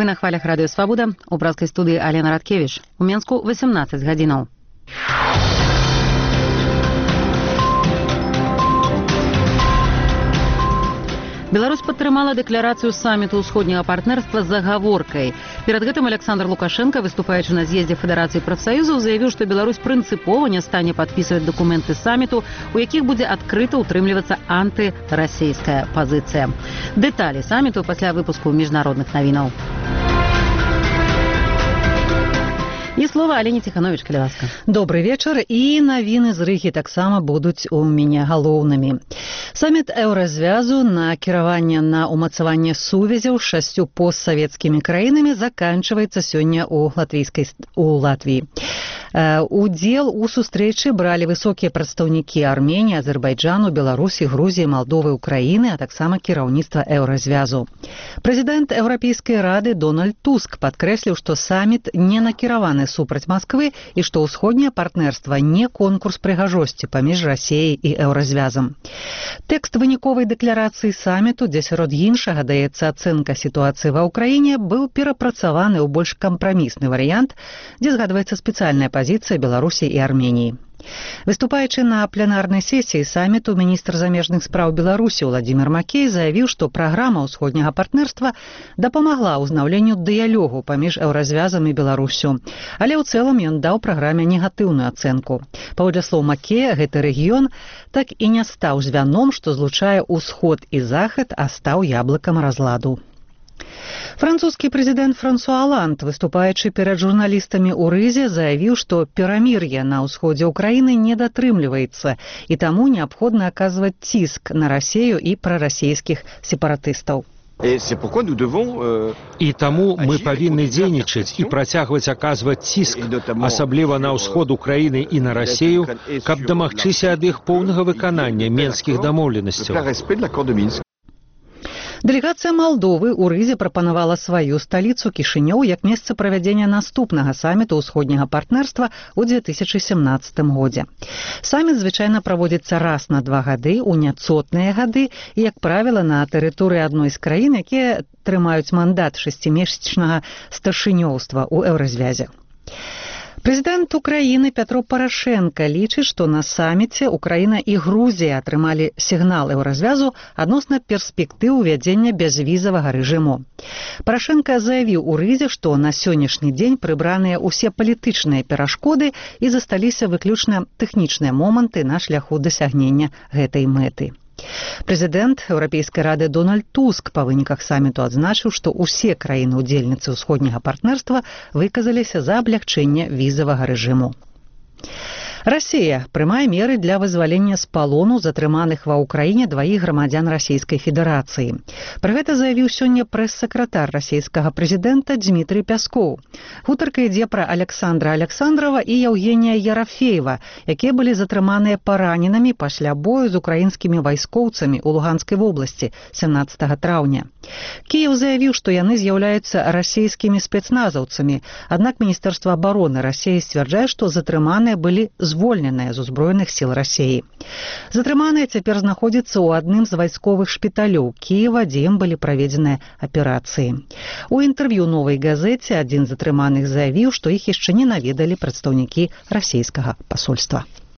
На хвалях радыё Свабода у брацкай студыі Алена Радкевіч. У Менску 18 гадзінаў. Беларусь падтрымала дэкларацыю саміту ўсходняга партнерства з загаворкай. Перад гэтым Александр Лукашенко, выступаючы на з'ездзе Федэрацыі прафсаюзаў, заявіў, што Беларусь прынцыпова не стане падпісваць дакументы саміту, у якіх будзе адкрыта ўтрымлівацца антырасійская пазіцыя. Дэталі саміту пасля выпуску міжнародных навінаў. І слова Алене Ціхановіч, калі ласка. Добрый вечар, і навіны з Рыгі таксама будуць у мяне галоўнымі. Саміт Еўразвязу на кіраванне на ўмацаванне сувязяў з 6 постсавецкімі краінамі заканчваецца сёння у Латвіі. Удзел у сустрэчы бралі высокія прадстаўнікі Арменіі, Азербайджану, Беларусі, Грузіі, Малдовы, Украіны, а таксама кіраўніцтва Еўразвязу. Прэзідэнт Еўрапейскай рады Дональд Туск падкрэсліў, што саміт не накіраваны супраць Масквы і што ўсходняе партнерства не конкурс прыгажосці паміж Расіяй і Еўразвязам. Тэкст выніковай дэкларацыі саміту, дзе сярод іншага даецца ацэнка сітуацыі ва ўкраіне, быў перапрацаваны ў больш кампрамісны варыянт, дзе згадваецца спецыяльная пазіцыя Беларусі і Арменіі. Выступаючы на пленарнай сесіі саміту, міністр замежных спраў Беларусі Владзімір Макей заявіў, што праграма ўсходняга партнерства дапамагла ўзнаўленню дыялогу паміж Еўразвязам і Беларусю. Але ў цэлым ён даў праграме негатыўную ацэнку. Паводле слоў Макея, гэты рэгіён так і не стаў звяном, што злучае ўсход і захад, а стаў яблыкам разладу. Французскі прэзідэнт Франсуа Оланд, выступаючы перад журналістамі ў Рызе, заявіў, што перамір'е на ўсходзе ўкраіны не датрымліваецца, і таму неабходна аказваць ціск на Расію і прарасійскіх сепаратыстаў. І таму мы павінны дзейнічаць і працягваць аказваць ціск, асабліва на ўсход Украіны і на Расію, каб дамагчыся ад іх поўнага выканання менскіх дамоўленасцяў. Дэлегацыя Малдовы ў Рызе прапанавала сваю сталіцу Кішынёў як месца правядзення наступнага саміту ўсходняга партнерства ў 2017 годзе. Саміт звычайна праводзіцца раз на 2 гады ў няцотныя гады і, як правіла, на тэрыторыі адной з краін, якія трымаюць мандат 6-месячнага старшынёўства ў Еўразвязе. Прэзідэнт Украіны Пятро Парашенка лічыць, што на саміце Украіна і Грузія атрымалі сігнал Еўразвязу адносна перспектыў увядзення бязвізавага рэжыму. Парашенка заявіў у Рызе, што на сённяшні дзень прыбраныя ўсе палітычныя перашкоды і засталіся выключна тэхнічныя моманты на шляху дасягнення гэтай мэты. Прэзідэнт Еўрапейскай рады Дональд Туск па выніках саміту адзначыў, што ўсе краіны-удзельніцы ўсходняга партнерства выказаліся за аблягчэнне візавага рэжыму. Расія прымае меры для вызвалення з палону затрыманых ва ўкраіне 2 грамадзян Расійскай Федэрацыі. Пра гэта заявіў сёння прэс-сакратар расійскага прэзідэнта Дмітрый Пяскоў. Гутарка ідзе пра Александра Александрова і Евгенія Ерафеева, якія былі затрыманыя параненымі пасля бою з украінскімі вайскоўцамі ў Луганскай вобласці 17 траўня. Кіеў заявіў, што яны з'яўляюцца расійскімі спецназаўцамі, аднак Міністэрства абароны Расіі сцвярджае, што затрыманыя былі звольненыя з узброеных сіл Расіі. Затрыманыя цяпер знаходзяцца ў адным з вайсковых шпіталёў Кіева, дзе ім былі праведзеныя аперацыі. У інтэрв'ю «Новай газеце» адзін з затрыманых заявіў, што іх яшчэ не наведалі прадстаўнікі расійскага пасольства.